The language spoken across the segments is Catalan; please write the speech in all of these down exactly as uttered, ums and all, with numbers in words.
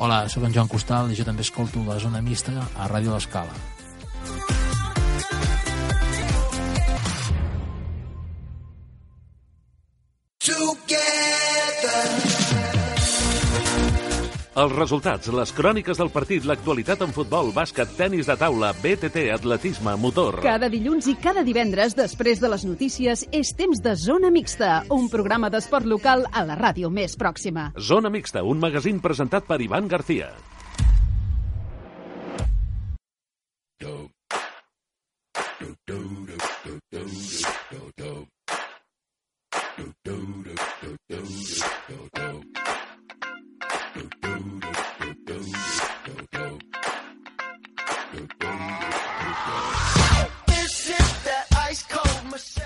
Hola, sóc en Joan Costal i jo també escolto la Zona Mixta a Ràdio L'Escala. Els resultats, les cròniques del partit, l'actualitat en futbol, bàsquet, tenis de taula, B T T, atletisme, motor. Cada dilluns i cada divendres, després de les notícies, és temps de Zona Mixta, un programa d'esport local a la ràdio més pròxima. Zona Mixta, un magazín presentat per Ivan García.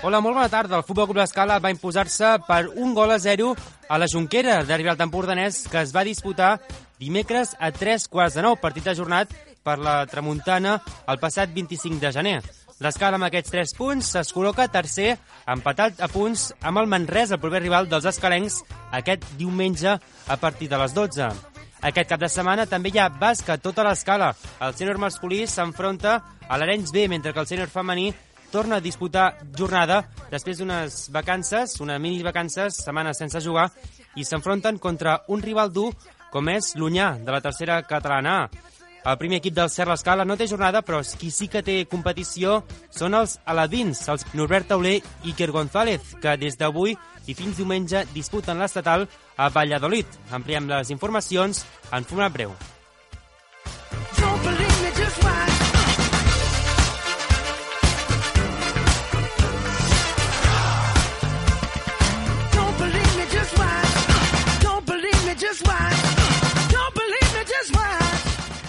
Hola, molt bona tarda. El Futbol Club L'Escala va imposar-se per un gol a zero a la Jonquera, derbi al Empordanès, que es va disputar dimecres a tres quarts de nou, partit ajornat per la Tramuntana el passat vint-i-cinc de gener. L'Escala, amb aquests tres punts, es col·loca tercer, empatat a punts amb el Manresa, el proper rival dels escalencs, aquest diumenge a partir de les dotze. Aquest cap de setmana també hi ha bàsquet, tota l'Escala. El sènior masculí s'enfronta a l'Arenys B, mentre que el sènior femení torna a disputar jornada després d'unes vacances, unes mini vacances, setmanes sense jugar, i s'enfronten contra un rival dur com és l'Unyà, de la tercera catalana A. El primer equip del Cert L'Escala no té jornada, però qui sí que té competició són els aladins, els Norbert Tauler i Iker González, que des d'avui i fins diumenge disputen l'estatal a Valladolid. Ampliem les informacions en format breu.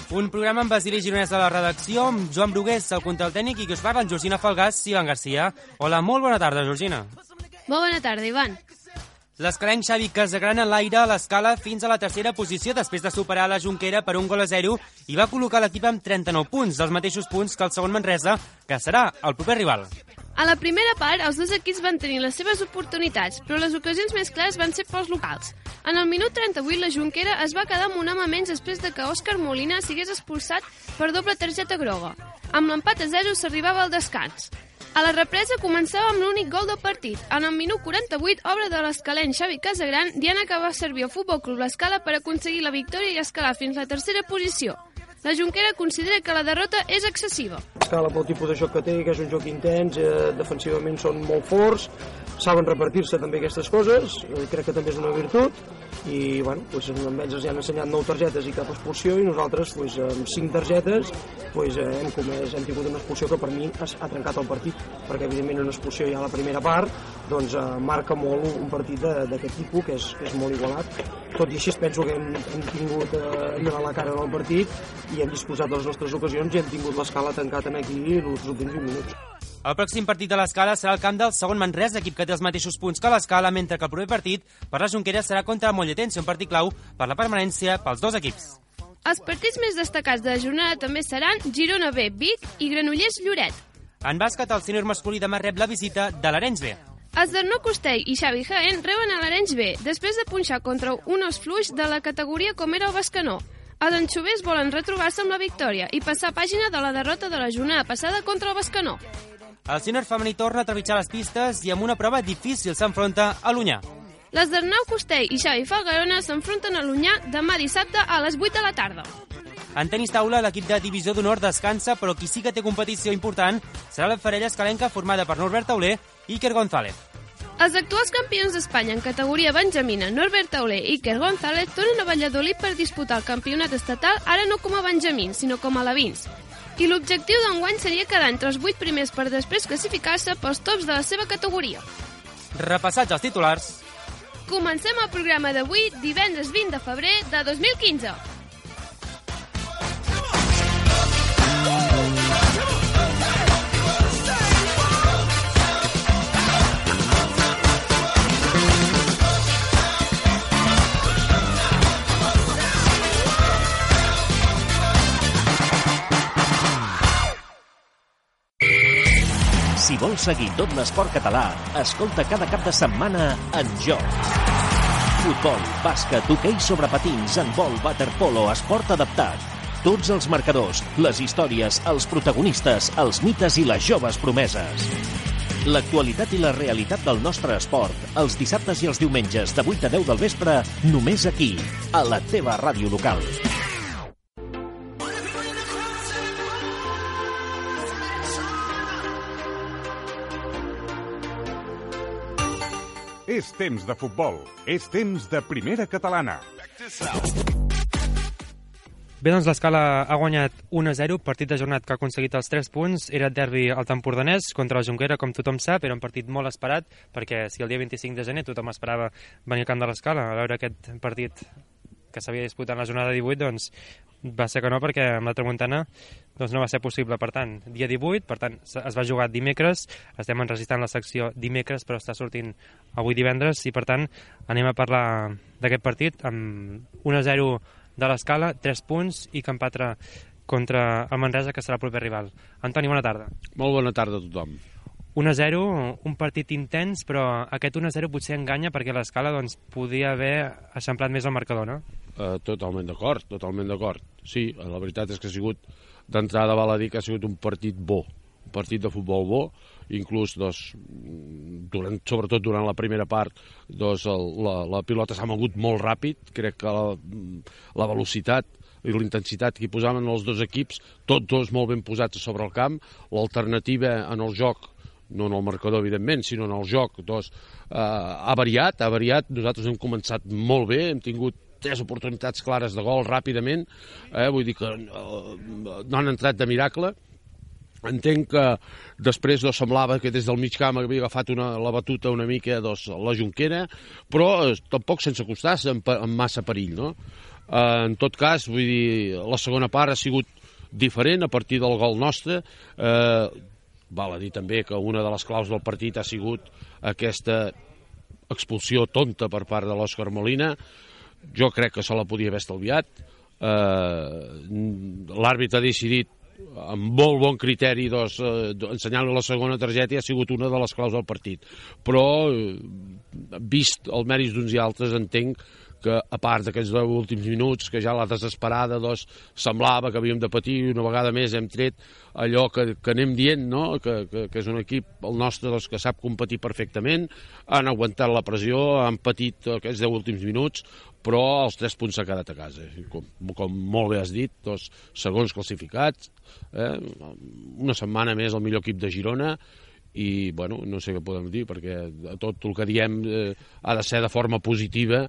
Un programa amb Basili Gironès a la redacció, amb Joan Brugués, el control tècnic, i que us parla en Georgina Falgàs i Ivan García. Hola, molt bona tarda, Georgina. Molt bona tarda, Ivan. L'escalenc Xavi Casagrana enlaira l'Escala fins a la tercera posició després de superar la Jonquera per un gol a zero i va col·locar l'equip amb trenta-nou punts, els mateixos punts que el segon Manresa, que serà el proper rival. A la primera part, els dos equips van tenir les seves oportunitats, però les ocasions més clares van ser pels locals. En el minut trenta-vuit, la Jonquera es va quedar amb un home menys després de que Òscar Molina sigués expulsat per doble targeta groga. Amb l'empat a zero s'arribava al descans. A la represa començava amb l'únic gol del partit. En el minut quaranta-vuit, obra de l'escalenc Xavi Casagran, Diana que va servir al Futbol Club L'Escala per aconseguir la victòria i escalar fins a la tercera posició. La Jonquera considera que la derrota és excessiva. L'Escala, pel tipus de joc que té, que és un joc intens, eh, defensivament són molt forts, saben repartir-se també aquestes coses, eh, crec que també és una virtut, i bueno, doncs, amb ells ja han ensenyat nou targetes i cap expulsió, i nosaltres doncs, amb cinc targetes doncs, eh, hem, comès, hem tingut una expulsió que per mi ha, ha trencat el partit, perquè evidentment una expulsió ja a la primera part doncs, eh, marca molt un partit d'aquest tipus, que és, que és molt igualat. Tot i així penso que hem, hem tingut eh, a la cara en el partit i hem disposat de les nostres ocasions i hem tingut l'Escala tancat en aquí els últims vint minuts. El pròxim partit de l'Escala serà el camp del segon Manresa, equip que té els mateixos punts que l'Escala, mentre que el proper partit per la Jonquera serà contra el Molletense, un partit clau per la permanència pels dos equips. Els partits més destacats de la jornada també seran Girona B, Vic i Granollers Lloret. En bàsquet, el sènior masculí demà rep la visita de l'Arenys B. Els d'Arnau Costell i Xavi Jaén reben a l'Arenys B, després de punxar contra un os fluix de la categoria com era el Bescanó. Els anxovers volen retrobar-se amb la victòria i passar pàgina de la derrota de la jornada passada contra el Bescanó. El sènior femení torna a trepitjar les pistes i amb una prova difícil s'enfronta a l'Unyà. Les d'Arnau Costell i Xavi Falgarona s'enfronten a l'Unyà demà dissabte a les vuit de la tarda. En tenis taula, l'equip de Divisió d'Honor descansa, però qui sí que té competició important serà la parella escalenca formada per Norbert Tauler i Iker González. Els actuals campions d'Espanya en categoria benjamina, Norbert Tauler i Iker González, tornen a Valladolid per disputar el campionat estatal, ara no com a benjamins, sinó com a alevins. I l'objectiu d'enguany seria quedar entre els vuit primers per després classificar-se pels tops de la seva categoria. Repassats els titulars. Comencem el programa d'avui, divendres vint de febrer de dos mil quinze. Si vols seguir tot l'esport català, escolta cada cap de setmana En Joc. Futbol, bàsquet, hoquei sobre patins, handbol, waterpolo, esport adaptat. Tots els marcadors, les històries, els protagonistes, els mites i les joves promeses. L'actualitat i la realitat del nostre esport, els dissabtes i els diumenges de vuit a deu del vespre, només aquí, a la teva ràdio local. És temps de futbol, és temps de primera catalana. Bé, doncs l'Escala ha guanyat un a zero, partit ajornat que ha aconseguit els tres punts. Era derbi al Tempordanès contra la Jonquera, com tothom sap, era un partit molt esperat, perquè si el dia vint-i-cinc de gener tothom esperava venir al camp de l'Escala a veure aquest partit que s'havia disputat en la jornada divuit, doncs va ser que no, perquè amb la tramuntana doncs no va ser possible. Per tant, dia divuit, per tant, es va jugar dimecres, estem enregistrant la secció dimecres, però està sortint avui divendres, i per tant anem a parlar d'aquest partit amb un a zero de l'Escala, tres punts i camp altre contra el Manresa, que serà el proper rival. Antoni, bona tarda. Molt bona tarda a tothom. un a zero, un partit intens, però aquest un a zero potser enganya perquè l'Escala doncs, podia haver eixamplat més el marcador, no? Uh, totalment d'acord, totalment d'acord. Sí, la veritat és que ha sigut, d'entrada val a dir que ha sigut un partit bo, un partit de futbol bo, inclús, doncs, durant, sobretot durant la primera part, doncs, el, la, la pilota s'ha mogut molt ràpid, crec que la, la velocitat i la intensitat que hi posaven els dos equips, tots dos molt ben posats sobre el camp, l'alternativa en el joc, no en el marcador, evidentment, sinó en el joc, doncs, eh, ha variat, ha variat, nosaltres hem començat molt bé, hem tingut tres oportunitats clares de gol ràpidament, eh, vull dir que eh, no han entrat de miracle. Entenc que després doncs, semblava que des del mig camp havia agafat una, la batuta una mica doncs, la Jonquera, però eh, tampoc sense acostar amb, amb massa perill, no? Eh, en tot cas, vull dir, la segona part ha sigut diferent a partir del gol nostre. Eh, val a dir també que una de les claus del partit ha sigut aquesta expulsió tonta per part de l'Òscar Molina. Jo crec que se la podia haver estalviat. Eh, l'àrbitre ha decidit amb molt bon criteri doncs, eh, ensenyant-li la segona targeta, i ha sigut una de les claus del partit. Però, eh, vist els mèrits d'uns i altres, entenc que a part d'aquests deu últims minuts, que ja la desesperada doncs, semblava que havíem de patir, i una vegada més hem tret allò que, que anem dient, no? que, que, que és un equip, el nostre, doncs, que sap competir perfectament, han aguantat la pressió, han patit aquests deu últims minuts, però els tres punts s'ha quedat a casa. Com, com molt bé has dit, dos segons classificats, eh? una setmana més el millor equip de Girona, i bueno, no sé què podem dir, perquè tot el que diem eh, ha de ser de forma positiva,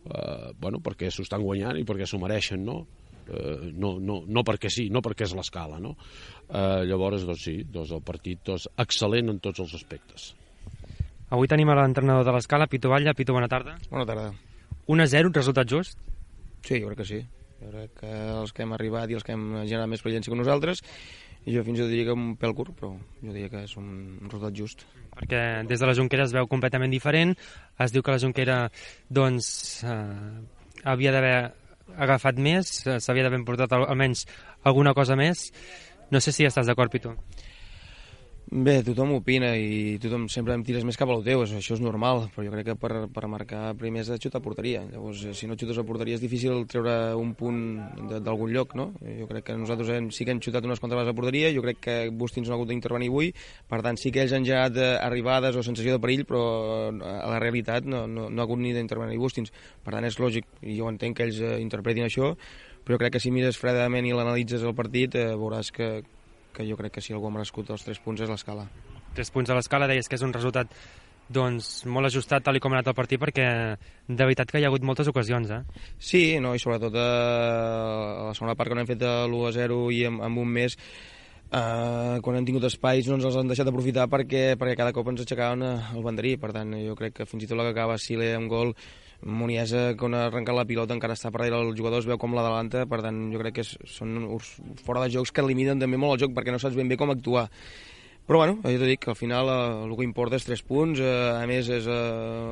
eh, bueno, perquè s'ho estan guanyant i perquè s'ho mereixen, no? Eh, no, no, no perquè sí, no perquè és l'Escala, no? Eh, llavors, doncs sí, doncs el partit doncs, excel·lent en tots els aspectes. Avui tenim a l'entrenador de l'Escala, Pitu Batlle. Pitu, bona tarda. Bona tarda. un a zero, resultat just? Sí, jo crec que sí. Jo crec que els que hem arribat i els que hem generat més experiència que nosaltres, i jo fins i tot diria que un pèl curt, però jo diria que és un resultat just. Perquè des de la Jonquera es veu completament diferent. Es diu que la Jonquera doncs, eh, havia d'haver agafat més, s'havia d'haver portat almenys alguna cosa més. No sé si estàs d'acord, Pitu. Bé, tothom opina i tothom sempre em tires més cap a lo teu, això és normal, però jo crec que per, per marcar primer has de xutar a porteria. Llavors, si no xutes a porteria és difícil treure un punt d'algun lloc, no? Jo crec que nosaltres hem, sí que hem xutat unes quantes vegades a porteria, jo crec que Bustins no ha hagut d'intervenir avui, per tant sí que ells han generat arribades o sensació de perill, però a la realitat no, no, no ha hagut ni d'intervenir Bustins. Per tant és lògic, i jo entenc que ells interpretin això, però jo crec que si mires fredament i l'analitzes el partit, eh, veuràs que que jo crec que si algú ha merescut els tres punts és l'Escala. Tres punts a l'Escala, deies que és un resultat doncs, molt ajustat tal com ha anat el partit, perquè de veritat que hi ha hagut moltes ocasions, eh? Sí, no, i sobretot a, a la segona part, quan hem fet l'u a zero i amb, amb un mes, eh, quan hem tingut espais no ens els han deixat aprofitar perquè, perquè cada cop ens aixecaven el banderí. Per tant, jo crec que fins i tot la que acaba Sile amb gol, Muniesa, quan ha arrencat la pilota, encara està per darrere el jugador, es veu com l'adelanta. Per tant, jo crec que són fora de jocs que limiten també molt el joc, perquè no saps ben bé com actuar. Però bueno, jo t'ho dic, que al final eh, el que importa és tres punts, eh, a més és eh,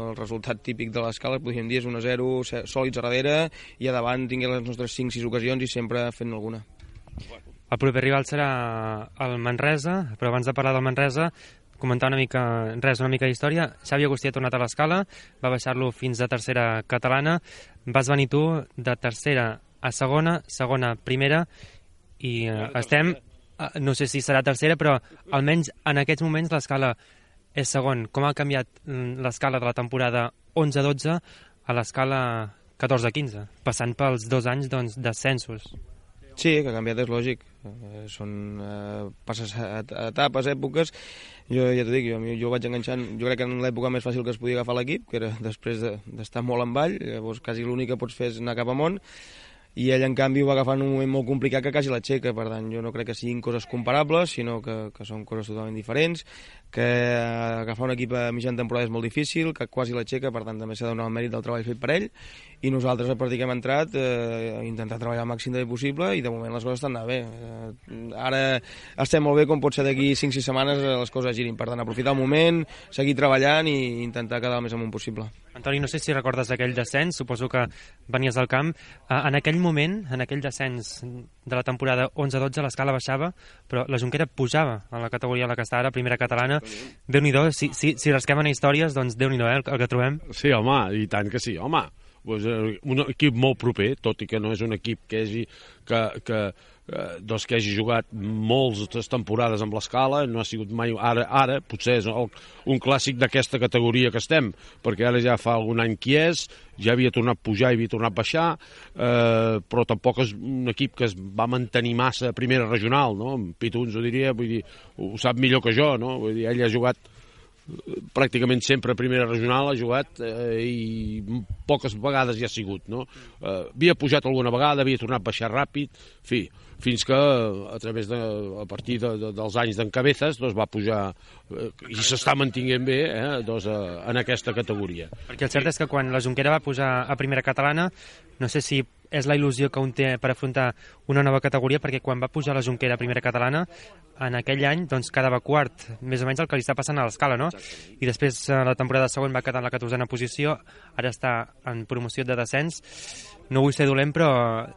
el resultat típic de l'Escala, podríem dir, és un a zero, sòlids a darrere, i a davant tinguem les nostres cinc sis ocasions i sempre fent alguna. El proper rival serà el Manresa, però abans de parlar del Manresa, comentar una mica, res, una mica d'història. Xavi Agustí ha tornat a l'Escala, va baixar-lo fins a tercera catalana, vas venir tu de tercera a segona, segona a primera, i eh, estem, eh, no sé si serà tercera, però almenys en aquests moments l'Escala és segon. Com ha canviat l'Escala de la temporada onze dotze a l'Escala catorze quinze, passant pels dos anys doncs, d'ascensos? Sí, que ha canviat, és lògic. Eh, són eh, passes a, a etapes, èpoques. Jo ja t'ho dic, jo, jo vaig enganxant, jo crec que en l'època més fàcil que es podia agafar l'equip, que era després d'estar de, molt en vall, llavors quasi l'únic que pots fer és anar cap amunt, i ell, en canvi, ho va agafar en un moment molt complicat que quasi l'aixeca. Per tant, jo no crec que siguin coses comparables, sinó que, que són coses totalment diferents, que agafar un equip a mitjana temporada és molt difícil, que quasi l'aixeca, per tant, també s'ha de donar el mèrit del treball fet per ell, i nosaltres, a partir que hem entrat, eh, intentar treballar el màxim de possible, i de moment les coses estan anant bé. Eh, ara estem molt bé, com pot ser d'aquí cinc sis setmanes les coses girin. Per tant, aprofitar el moment, seguir treballant i intentar quedar el més amunt possible. Antoni, no sé si recordes aquell descens, suposo que venies al camp. En aquell moment, en aquell descens de la temporada onze dotze, l'Escala baixava, però la Jonquera pujava a la categoria en la que està ara, primera catalana. Déu-n'hi-do, si, si, si rasquem en històries, doncs Déu-n'hi-do, eh, el, el que trobem. Sí, home, i tant que sí, home. Pues, un equip molt proper, tot i que no és un equip que hagi, que, que, doncs que hagi jugat moltes temporades amb l'Escala, no ha sigut mai, ara, ara potser és el, un clàssic d'aquesta categoria que estem, perquè ara ja fa algun any qui és, ja havia tornat a pujar i havia tornat a baixar, eh, però tampoc és un equip que es va mantenir massa a primera regional, no? Pitu ens ho diria, vull dir, ho sap millor que jo, no? Vull dir, ell ha jugat pràcticament sempre a primera regional, ha jugat eh, i poques vegades hi ha sigut, no? Eh, havia pujat alguna vegada, havia tornat a baixar ràpid, en fi, fins que a través de, a partir de, de, dels anys d'en Cabezas doncs va pujar eh, i s'està mantinguent bé eh, doncs, eh, en aquesta categoria. Perquè el cert és que quan la Jonquera va pujar a primera catalana, no sé si és la il·lusió que un té per afrontar una nova categoria, perquè quan va pujar la Jonquera a primera catalana, en aquell any doncs, quedava quart, més o menys el que li està passant a l'Escala, no? I després la temporada següent va quedar en la catorzena posició, ara està en promoció de descens. No vull ser dolent, però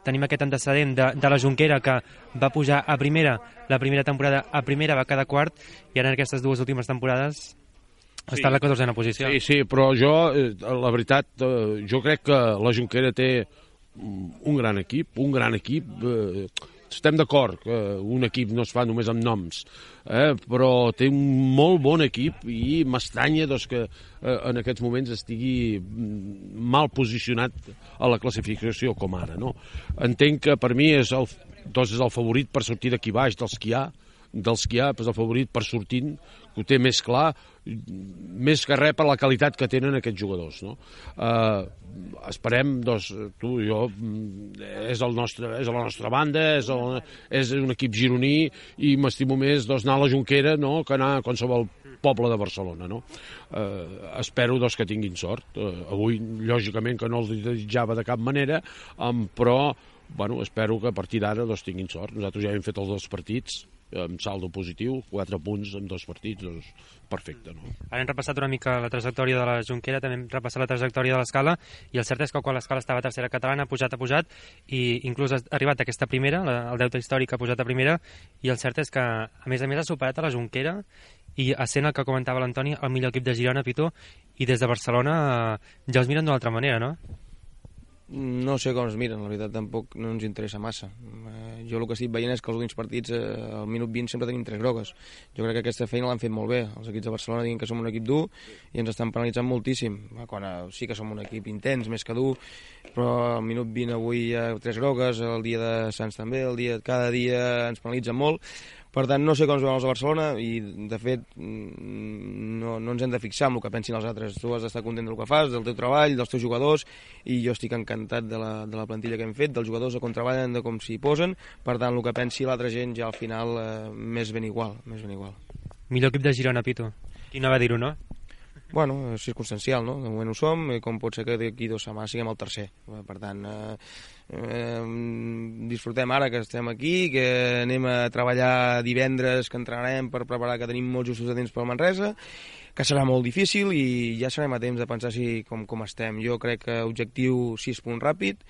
tenim aquest antecedent de, de la Jonquera, que va pujar a primera, la primera temporada a primera va quedar quart, i ara en aquestes dues últimes temporades està sí, en la catorzena posició. Sí, sí, però jo, la veritat, jo crec que la Jonquera té un gran equip, un gran equip, eh, estem d'acord que un equip no es fa només amb noms, eh, però té un molt bon equip i m'estranya doncs, que eh, en aquests moments estigui mal posicionat a la classificació com ara. No? Entenc que per mi és el, doncs és el favorit per sortir d'aquí baix, dels que hi ha, dels que hi ha, és el favorit per sortint, que ho té més clar, més que res per la qualitat que tenen aquests jugadors. No? Eh, esperem, doncs, tu i jo, és, el nostre, és la nostra banda, és, el, és un equip gironí i m'estimo més doncs, anar a la Jonquera no? que anar a qualsevol poble de Barcelona. No? Eh, espero doncs, que tinguin sort. Eh, avui, lògicament, que no els desitjava de cap manera, um, però bueno, espero que a partir d'ara doncs, tinguin sort. Nosaltres ja hem fet els dos partits, amb saldo positiu, quatre punts en dos partits, doncs perfecte. No? Ara hem repassat una mica la trajectòria de la Jonquera, també hem repassat la trajectòria de l'Escala, i el cert és que quan l'Escala estava a tercera catalana ha pujat, ha pujat, i inclús ha arribat a aquesta primera, el deute històric ha pujat a primera, i el cert és que, a més a més, ha superat a la Jonquera, i essent el que comentava l'Antoni, el millor equip de Girona, Pitu, i des de Barcelona ja els miren d'una altra manera, no? No sé com es miren, la veritat tampoc no ens interessa massa. Eh, jo el que estic veient és que els últims partits eh, al minut vint sempre tenim tres grogues. Jo crec que aquesta feina l'han fet molt bé. Els equips de Barcelona diuen que som un equip dur i ens estan penalitzant moltíssim. Quan eh, sí que som un equip intens, més que dur, però al minut vint avui hi ha tres grogues, el dia de Sants també, el dia, cada dia ens penalitzen molt. Per tant, no sé com es veuen els de Barcelona i, de fet, no, no ens hem de fixar en el que pensin els altres. Tu has d'estar content del que fas, del teu treball, dels teus jugadors, i jo estic encantat de la, de la plantilla que hem fet, dels jugadors de com treballen, de com s'hi posen. Per tant, el que pensi l'altra gent ja al final eh, més ben igual, més ben igual. Millor equip de Girona, Pitu. Qui no va dir-ho, no? Bueno, és circumstancial, no? De moment ho som, i com pot ser que d'aquí dues setmanes siguem el tercer. Per tant, eh, eh, disfrutem ara que estem aquí, que anem a treballar divendres, que entrenarem per preparar, que tenim molts justos de temps pel Manresa, que serà molt difícil i ja serem a temps de pensar si, com, com estem. Jo crec que objectiu sis punts ràpid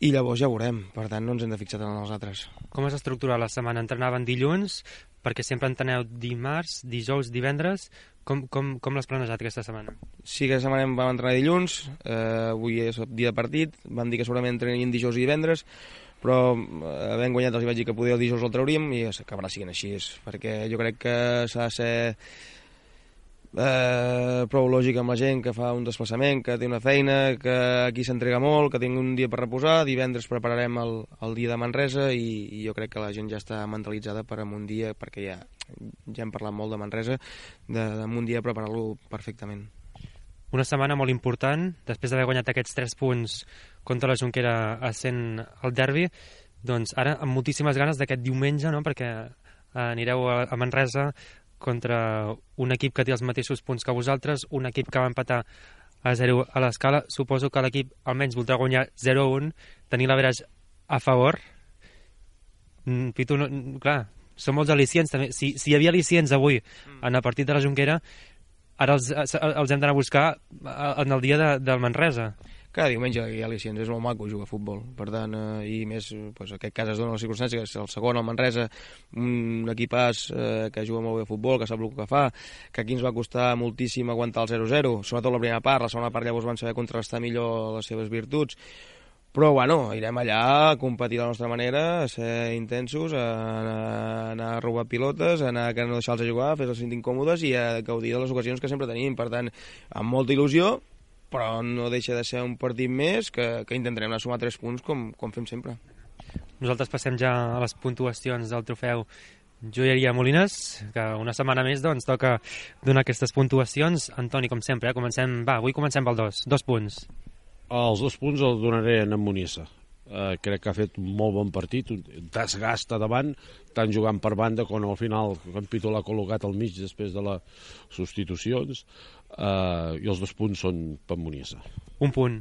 i llavors ja veurem, per tant no ens hem de fixar tant en els altres. Com es estructura la setmana? Entrenaven dilluns, perquè sempre enteneu dimarts, dijous, divendres. Com, com, com l'has planejat aquesta setmana? Sí, aquesta setmana vam entrenar dilluns, eh, avui és dia de partit, van dir que segurament entrenarien dijous i divendres, però eh, havent guanyat els hi vaig dir que poder el dijous el trauríem i acabarà siguent així, perquè jo crec que s'ha de ser Eh, prou lògic amb la gent que fa un desplaçament, que té una feina, que aquí s'entrega molt, que tingui un dia per reposar. Divendres prepararem el, el dia de Manresa i, i jo crec que la gent ja està mentalitzada per en un dia, perquè ja, ja hem parlat molt de Manresa, de, de un dia preparar-lo perfectament. Una setmana molt important, després d'haver guanyat aquests tres punts contra la Jonquera essent el derbi, doncs ara amb moltíssimes ganes d'aquest diumenge, no? Perquè anireu a, a Manresa contra un equip que té els mateixos punts que vosaltres, un equip que va empatar a zero a l'Escala. Suposo que l'equip almenys voldrà guanyar zero a un, tenir l'average a favor. Pitu, no, clar, són molts al·licients també. Si, si hi havia al·licients avui en el partit de la Jonquera, ara els, els hem d'anar a buscar en el dia de, del Manresa. Cada diumenge hi ha al·licients, és molt maco jugar a futbol, per tant, eh, i més, pues, en aquest cas es dona la circumstància que és el segon, el Manresa, un equipàs eh, que juga molt bé a futbol, que sap el que fa, que aquí ens va costar moltíssim aguantar el zero zero, sobretot la primera part, la segona part llavors van saber contrastar millor les seves virtuts, però bueno, irem allà a competir de la nostra manera, a ser intensos, a anar, a anar a robar pilotes, a anar a no deixar-los jugar, a fer-los sentir incòmodes i a gaudir de les ocasions que sempre tenim, per tant, amb molta il·lusió, però no deixa de ser un partit més que, que intentarem anar a sumar tres punts com, com fem sempre. Nosaltres passem ja a les puntuacions del trofeu Joieria Molines, que una setmana més doncs, toca donar aquestes puntuacions. Antoni, com sempre, eh? comencem, va, avui comencem pel dos, dos punts. Els dos punts els donaré a en Monissa. Uh, crec que ha fet un molt bon partit, un desgasta davant, tant jugant per banda com al final en Pitu l'ha col·locat al mig després de les substitucions, uh, i els dos punts són per Monissa. Un punt.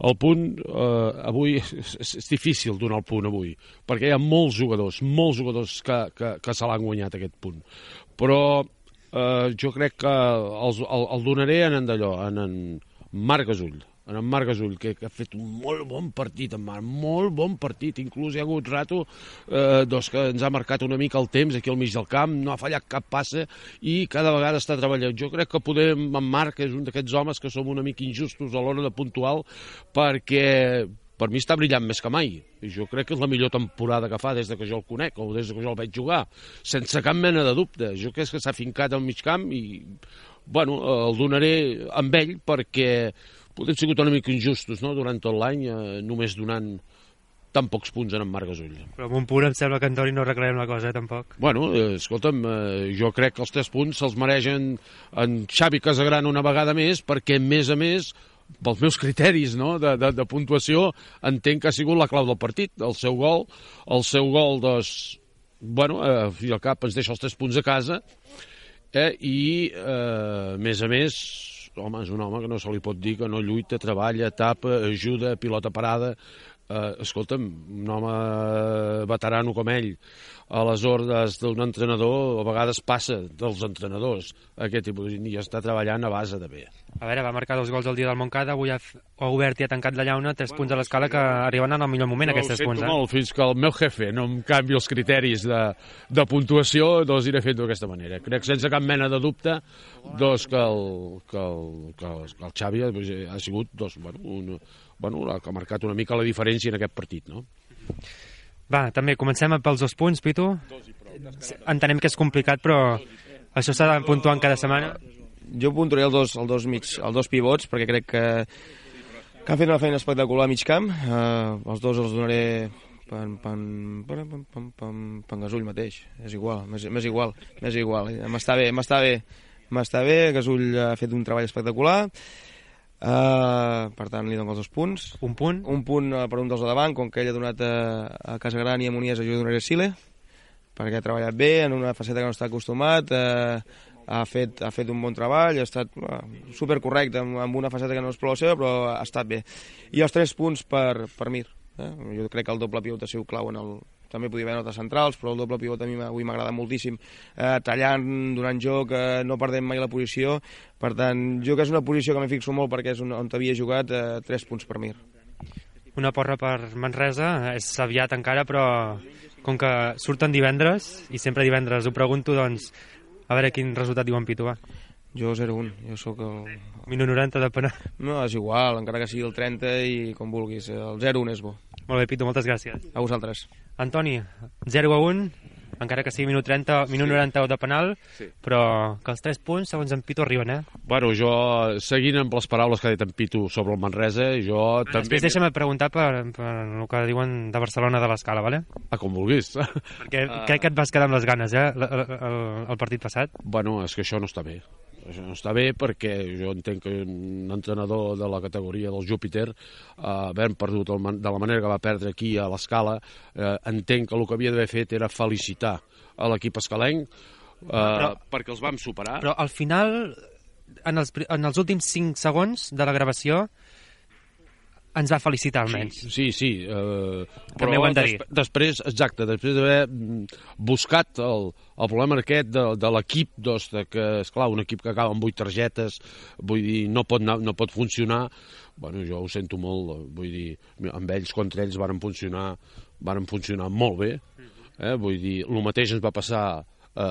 El punt, uh, avui és, és difícil donar el punt avui, perquè hi ha molts jugadors, molts jugadors que, que, que se l'han guanyat aquest punt, però uh, jo crec que els, el, el donaré en en d'allò, en en Marc Gasull, en en Marc Gasull, que, que ha fet un molt bon partit, en Marc, molt bon partit, inclús hi ha hagut rato eh, doncs que ens ha marcat una mica el temps aquí al mig del camp, no ha fallat cap passa i cada vegada està treballant. Jo crec que podem, en Marc és un d'aquests homes que som una mica injustos a l'hora de puntual, perquè per mi està brillant més que mai. Jo crec que és la millor temporada que fa des de que jo el conec o des de que jo el veig jugar, sense cap mena de dubte. Jo crec que s'ha fincat al mig camp i bueno, el donaré amb ell perquè podem sigut una mica injustos, no?, durant tot l'any, eh, només donant tan pocs punts en en Marc Gasull. Però amb un punt em sembla que Antoni no arreglarem la cosa, eh, tampoc. Bueno, eh, escolta'm, eh, jo crec que els tres punts se'ls mereixen en Xavi Casagrana una vegada més, perquè, a més a més, pels meus criteris, no?, de, de, de puntuació, entenc que ha sigut la clau del partit, el seu gol, el seu gol, doncs, bueno, eh, al fi i al cap ens deixa els tres punts a casa, eh, i, eh, a més a més, home, és un home que no se li pot dir que no lluita, treballa, tapa, ajuda, pilota parada. Eh, escolta'm, un home veterano com ell, a les ordres d'un entrenador, a vegades passa dels entrenadors, aquest tipus, i ja està treballant a base de bé. A veure, va marcar dos gols el dia del Montcada, avui ha, ha obert i ha tancat la llauna, tres punts a l'escala que arriben en el millor moment, no, aquests tres punts. Eh? Molt, fins que el meu jefe no em canvi els criteris de, de puntuació, doncs iré fent d'aquesta manera. Crec sense cap mena de dubte doncs, que, el, que, el, que, el, que el Xavi ha sigut doncs, bueno, un, bueno, que ha marcat una mica la diferència en aquest partit, no? Va, també comencem pels dos punts, Pitu. Entenem que és complicat, però això s'ha de puntuar en cada setmana. Jo puntuaré els dos, els dos, mig, els dos pivots, perquè crec que, que han fet una feina espectacular a mig camp. Uh, els dos els donaré per en Gasull mateix. És igual, m'és igual, m'és igual. M'està bé, m'està bé. M'està bé, Gasull ha fet un treball espectacular. Uh, per tant li dono els dos punts. Un punt? Un punt uh, per un dels de davant, com que ell ha donat a, a Casagrana i a Moniesa, jo donaré a Sile, perquè ha treballat bé en una faceta que no està acostumat, uh, ha, fet, ha fet un bon treball, ha estat uh, supercorrecte amb, amb una faceta que no és prou la seva, però ha estat bé. I els tres punts per, per Mir. Eh? Jo crec que el doble pivot ha sigut clau en el... També podia haver notes centrals, però el doble pivot a mi avui m'ha agradat moltíssim, eh, tallant, donant joc, eh, no perdent mai la posició. Per tant, jo que és una posició que m'hi fixo molt perquè és on, on havia jugat, eh, tres punts per Mir. una porra per Manresa. És aviat encara, però com que surten divendres, i sempre divendres ho pregunto, doncs a veure quin resultat diu en Pitu, va. Jo zero un, jo sóc el... Minut noranta de penal. No, és igual, encara que sigui el trenta i com vulguis, el zero un és bo. Molt bé, Pitu, moltes gràcies. A vosaltres. Antoni, zero a un, encara que sigui minut trenta, minut sí. noranta de penal, sí. Però que els tres punts, segons en Pitu, arriben, eh? Bueno, jo, seguint amb les paraules que ha dit en Pitu sobre el Manresa, jo Després també... Després deixa'm preguntar per, per el que diuen de Barcelona de l'Escala, vale? Ah, com vulguis. Perquè uh... crec que et vas quedar amb les ganes, eh, el, el, el partit passat. Bueno, és que això no està bé. Això no està bé perquè jo entenc que un entrenador de la categoria del Júpiter, eh, havent perdut el, de la manera que va perdre aquí a l'Escala, eh, entenc que el que havia d'haver fet era felicitar a l'equip escalenc, eh, però, perquè els vam superar. Però al final, en els, en els últims cinc segons de la gravació, ens va felicitar almenys. Sí, sí, sí eh, també ho hem de dir. Des, després, exacte, després d'haver buscat el, el problema aquest de, de l'equip, doncs, de que, esclar, un equip que acaba amb vuit targetes, vull dir, no pot, anar, no pot funcionar, bueno, jo ho sento molt, vull dir, amb ells, contra ells, varen funcionar, varen funcionar molt bé, eh, vull dir, el mateix ens va passar a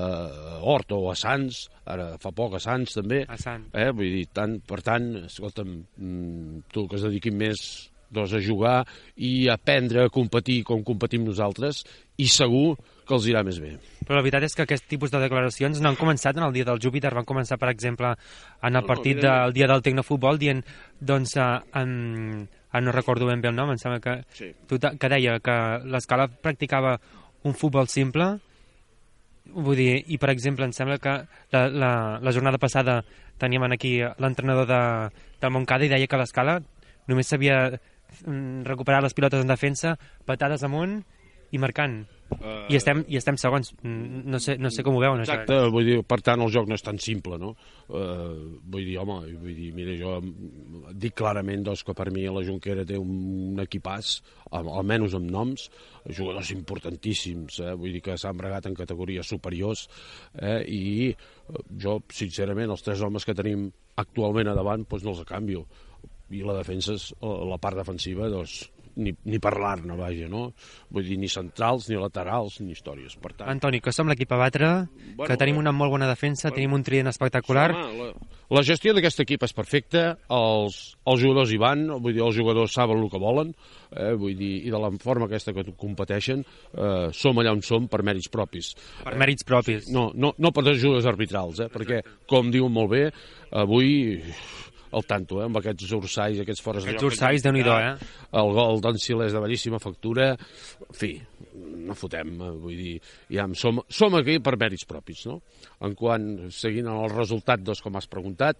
Hort o a Sants, ara fa poc a Sants també, a Sant. eh, vull dir, tant, per tant, escolta'm, tu que es dediquin més doncs, a jugar i a aprendre a competir com competim nosaltres, i segur que els irà més bé. Però la veritat és que aquest tipus de declaracions no han començat en el dia del Júpiter, van començar, per exemple, en el partit no, no, del dia del Tecnofutbol, dient, doncs, en, en, no recordo ben bé el nom, em sembla que, sí. que deia que l'Escala practicava un futbol simple. Vull dir, i per exemple, em sembla que la, la, la jornada passada teníem aquí l'entrenador de, del Montcada i deia que l'Escala només sabia recuperar les pilotes en defensa, patades amunt i marcant. Uh, I, estem, I estem segons. No sé, no sé com ho veuen, exacte, això. Vull dir, per tant, el joc no és tan simple, no? Uh, vull dir, home, vull dir, mira, jo dic clarament doncs, que per mi la Jonquera té un equipàs, almenys amb noms, jugadors importantíssims, eh? Vull dir que s'han bregat en categories superiors, eh? I jo, sincerament, els tres homes que tenim actualment a davant, doncs no els canvio. I la defensa, la part defensiva, doncs, ni, ni parlar-ne, vaja, no? Vull dir, ni centrals, ni laterals, ni històries. Per tant... Antoni, que som l'equip a batre, bueno, que tenim una molt bona defensa, bueno, tenim un trident espectacular. Home, la, la gestió d'aquest equip és perfecta, els, els jugadors hi van, vull dir, els jugadors saben el que volen, eh, vull dir, i de la forma aquesta que competeixen, eh, som allà on som per mèrits propis. Per mèrits propis. No, no, no per ajudes arbitrals, eh, perquè, com diuen molt bé, avui... al tanto, eh, amb aquests ursais, aquests fores de lloc. Aquests ursais, Déu-n'hi-do, eh? El gol d'en Silés de bellíssima factura, en fi, no fotem, vull dir, ja som, som aquí per mèrits propis, no? En quant, seguint el resultat, doncs, com has preguntat,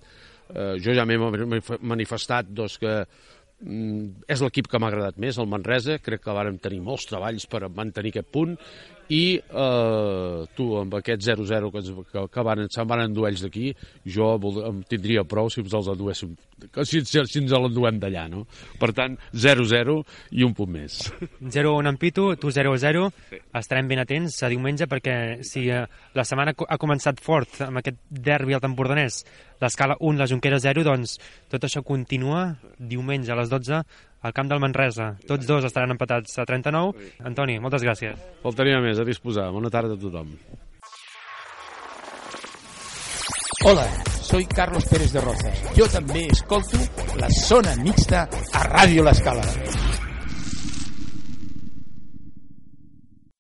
eh, jo ja m'he manifestat, doncs, que mm, és l'equip que m'ha agradat més, el Manresa, crec que vàrem tenir molts treballs per mantenir aquest punt, i eh, tu, amb aquest zero zero que, que, que van, se'n van endur ells d'aquí, jo vol, em tindria prou si ens els enduéssim, si, si, si ens l'enduem d'allà, no? Per tant, zero zero i un punt més. zero un en Pitu, tu zero zero, sí. Estarem ben atents a diumenge, perquè si eh, la setmana ha començat fort amb aquest derbi al Empordanès, l'Escala un, la Jonquera zero, doncs tot això continua diumenge a les dotze al camp del Manresa. Tots dos estaran empatats a trenta-nou. Antoni, moltes gràcies. Faltaria més, a disposar. Bona tarda a tothom. Hola, soy Carlos Pérez de Rozas. Yo també escolto la Zona Mixta a Ràdio L'Escala.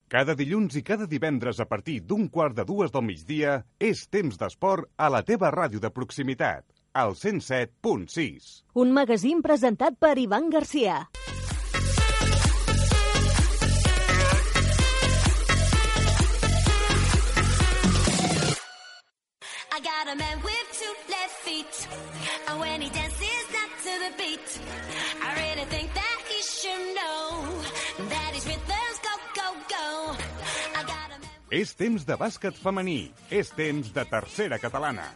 Cada dilluns i cada divendres a partir d'un quart de dues del migdia és temps d'esport a la teva ràdio de proximitat, al cent set punt sis. Un magazín presentat per Ivan Garcia. I got a man with two left feet, and when he dances not to the beat, I really think that he should know that his rhythms go, go, go. I got a man with... És temps de bàsquet femení, és temps de tercera catalana.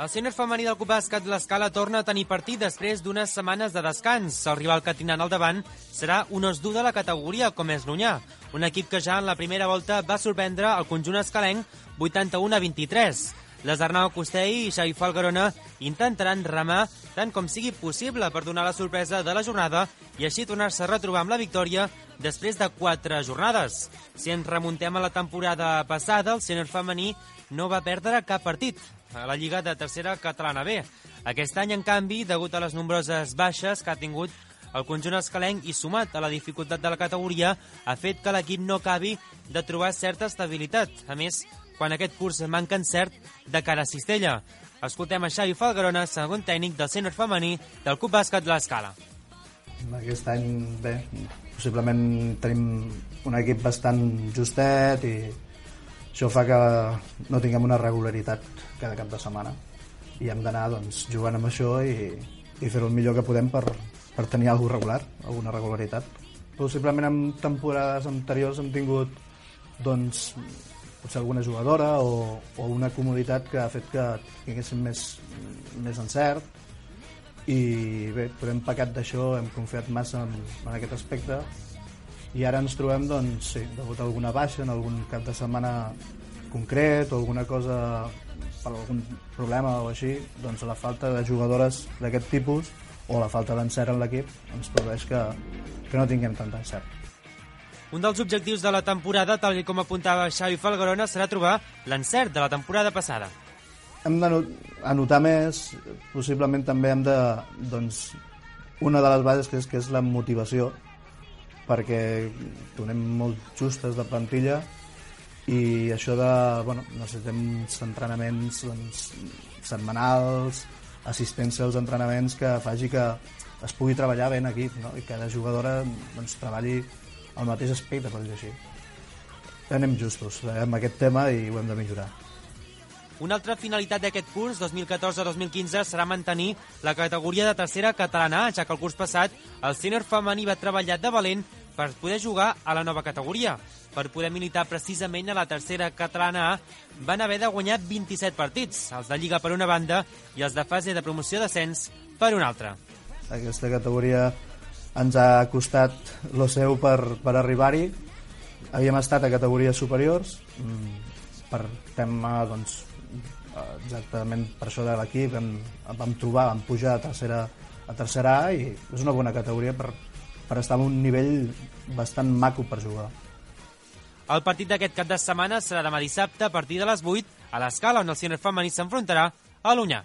El sènior femení del Club Bàsquet l'Escala torna a tenir partit després d'unes setmanes de descans. El rival que tindran al davant serà un osdur de la categoria, com és l'Unyà, un equip que ja en la primera volta va sorprendre el conjunt escalenc vuitanta-u a vint-i-tres. les Arnau Costell i Xavi Falgarona intentaran remar tant com sigui possible per donar la sorpresa de la jornada i així tornar-se a retrobar amb la victòria després de quatre jornades. Si ens remuntem a la temporada passada, el sènior femení no va perdre cap partit a la Lliga de Tercera Catalana B. Aquest any, en canvi, degut a les nombroses baixes que ha tingut el conjunt escalenc i sumat a la dificultat de la categoria, ha fet que l'equip no acabi de trobar certa estabilitat. A més, quan aquest curs manca encert de cara a Cistella. Escoltem a Xavi Falgarona, segon tècnic del sènior femení del Club Bàsquet l'Escala. Aquest any, bé, possiblement tenim un equip bastant justet i això fa que no tinguem una regularitat cada cap de setmana i hem d'anar doncs, jugant amb això i, i fer-ho el millor que podem per, per tenir alguna regular, alguna regularitat. Possiblement en temporades anteriors hem tingut doncs, potser alguna jugadora o, o una comoditat que ha fet que tinguéssim més, més encert i bé, però hem pecat d'això, hem confiat massa en, en aquest aspecte i ara ens trobem, doncs, sí, degut a alguna baixa en algun cap de setmana concret o alguna cosa per algun problema o així, doncs la falta de jugadores d'aquest tipus o la falta d'encert en l'equip ens produeix que, que no tinguem tant d'encert. Un dels objectius de la temporada, tal com apuntava Xavi Falgarona, serà trobar l'encert de la temporada passada. Hem d'anotar més, possiblement també hem de, doncs, una de les bases que és, que és la motivació, perquè donem molt justes de plantilla i això de, bueno, necessitem entrenaments doncs, setmanals, assistència als entrenaments que faci que es pugui treballar bé en equip, no? I que cada jugadora doncs, treballi al mateix aspecte, per dir així. Anem justos amb aquest tema i ho hem de millorar. Una altra finalitat d'aquest curs, dos mil catorze dos mil quinze, serà mantenir la categoria de tercera catalana A, ja que el curs passat el sènior femení va treballar de valent per poder jugar a la nova categoria. Per poder militar precisament a la tercera catalana A, van haver de guanyar vint-i-set partits, els de Lliga per una banda i els de fase de promoció d'ascens per una altra. Aquesta categoria ens ha costat lo seu per, per arribar-hi. Havíem estat a categories superiors, per tema, doncs, exactament per això de l'equip, vam, vam trobar, vam pujar a tercera, a tercera A i és una bona categoria per, per estar en un nivell bastant maco per jugar. El partit d'aquest cap de setmana serà demà dissabte a partir de les vuit a l'Escala, on el sènior femení s'enfrontarà a l'Onyar.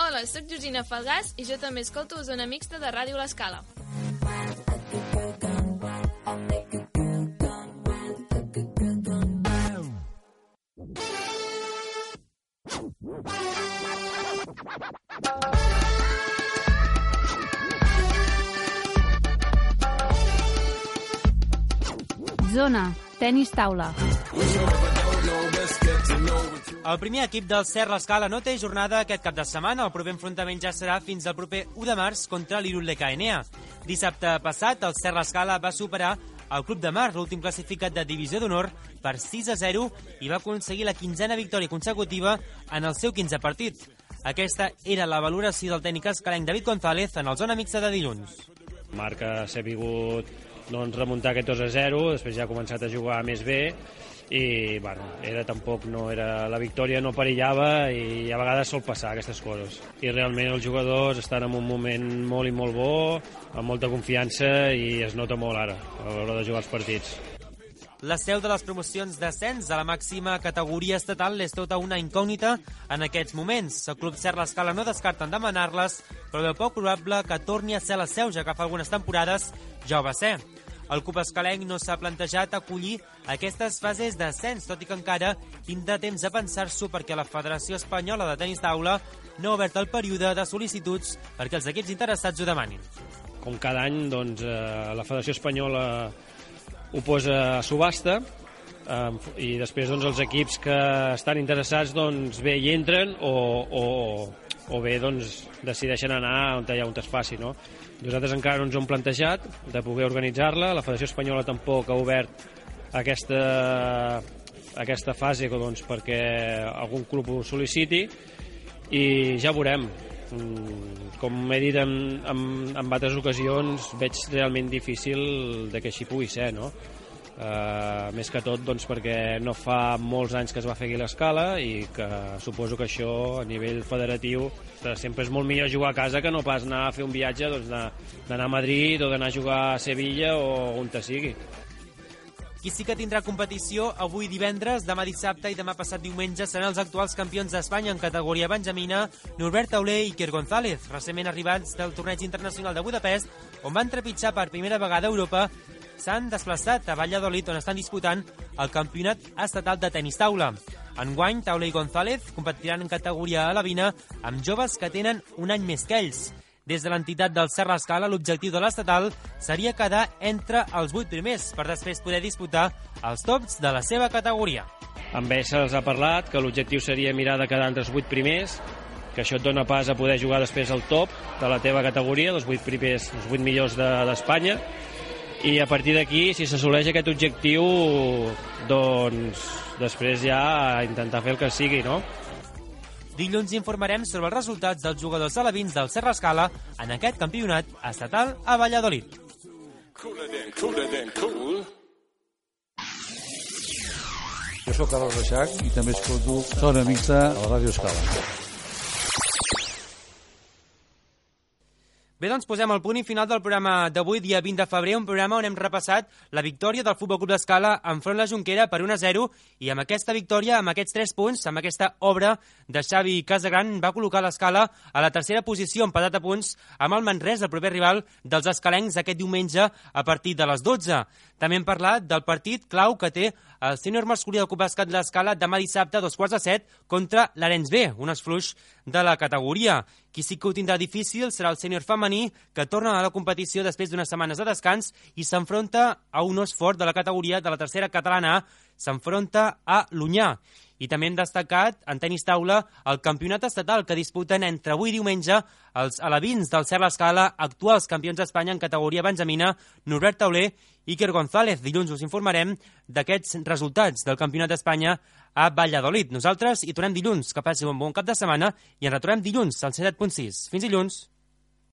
Hola, soc Georgina Falgàs i jo també escolto Zona Mixta de Ràdio l'Escala. Zona, tenis taula. El primer equip del Cert l'Escala no té jornada aquest cap de setmana. El proper enfrontament ja serà fins al proper u de març contra l'Irul de K N A. Dissabte passat, el Cert l'Escala va superar el Club de Mar, l'últim classificat de Divisió d'Honor, per sis a zero i va aconseguir la quinzena victòria consecutiva en el seu quinzè partit. Aquesta era la valoració del tècnic escalenc David González en el Zona Mixta de dilluns. Marca s'ha vingut doncs, remuntar aquest dos a zero, després ja ha començat a jugar més bé i bueno, era tampoc no era la victòria no perillava i a vegades sol passar aquestes coses i realment els jugadors estan en un moment molt i molt bo, amb molta confiança i es nota molt ara a l'hora de jugar els partits. La seu de les promocions d'ascens a la màxima categoria estatal és tota una incògnita en aquests moments. El Club Cert l'Escala no descarten demanar-les, però veu poc probable que torni a ser la seu, ja que fa algunes temporades ja ho va ser. El club escalenc no s'ha plantejat acollir aquestes fases d'ascens, tot i que encara tindrà temps de pensar-s'ho perquè la Federació Espanyola de Tenis Taula no ha obert el període de sol·licituds perquè els equips interessats ho demanin. Com cada any, doncs, eh, la Federació Espanyola ho posa a subhasta eh, i després doncs, els equips que estan interessats doncs, bé hi entren o, o, o bé doncs, decideixen anar on hi ha on es faci, no? Nosaltres encara no ens ho hem plantejat de poder organitzar-la, la Federació Espanyola tampoc ha obert aquesta, aquesta fase doncs, perquè algun club ho sol·liciti i ja veurem. mm, com he dit en, en, en altres ocasions, veig realment difícil de que així pugui ser, no? Uh, més que tot doncs, perquè no fa molts anys que es va fer aquí l'escala i que suposo que això a nivell federatiu sempre és molt millor jugar a casa que no pas anar a fer un viatge, doncs, d'anar a Madrid o d'anar a jugar a Sevilla o on te sigui. Qui sí que tindrà competició avui divendres, demà dissabte i demà passat diumenge seran els actuals campions d'Espanya en categoria benjamina, Norbert Tauler i Iker González, recentment arribats del torneig internacional de Budapest, on van trepitjar per primera vegada a Europa. S'han desplaçat a Valladolid, on estan disputant el campionat estatal de tenis taula. Enguany, Tauler i González competiran en categoria alevina amb joves que tenen un any més que ells. Des de l'entitat del Serra Escala, l'objectiu de l'estatal seria quedar entre els vuit primers per després poder disputar els tops de la seva categoria. Amb ells se'ls ha parlat que l'objectiu seria mirar de quedar entre els vuit primers, que això et dona pas a poder jugar després al top de la teva categoria, els vuit primers, els vuit millors d'Espanya, de, i a partir d'aquí, si s'assoleix aquest objectiu, doncs després ja a intentar fer el que sigui, no? Dilluns informarem sobre els resultats dels jugadors alevins del Serra Escala en aquest campionat estatal a Valladolid. Jo sóc Carles Reixac i també escolto Zona Mixta a la Ràdio Escala. Bé, doncs posem el punt i final del programa d'avui, dia vint de febrer, un programa on hem repassat la victòria del Futbol Club d'Escala enfront la Jonquera per un a zero, i amb aquesta victòria, amb aquests tres punts, amb aquesta obra de Xavi Casagran, va col·locar l'Escala a la tercera posició, empatat a punts amb el Manresa, el proper rival dels escalencs aquest diumenge a partir de les dotze. També hem parlat del partit clau que té el sènior masculí del Club Bàsquet de l'Escala demà dissabte a dos quarts de set contra l'Arenys B, un esfluix de la categoria. Qui sí que ho tindrà difícil serà el sènior femení, que torna a la competició després d'unes setmanes de descans i s'enfronta a un os fort de la categoria de la tercera catalana A, s'enfronta a l'Unyà. I també hem destacat, en tenis taula, el campionat estatal que disputen entre avui i diumenge els alevins del Serra Escala, actuals campions d'Espanya en categoria benjamina, Norbert Tauler i Iker González. Dilluns us informarem d'aquests resultats del campionat d'Espanya a Valladolid. Nosaltres hi tornem dilluns. Que passi un bon cap de setmana i ens retrobem dilluns al cent set punt sis. Fins dilluns.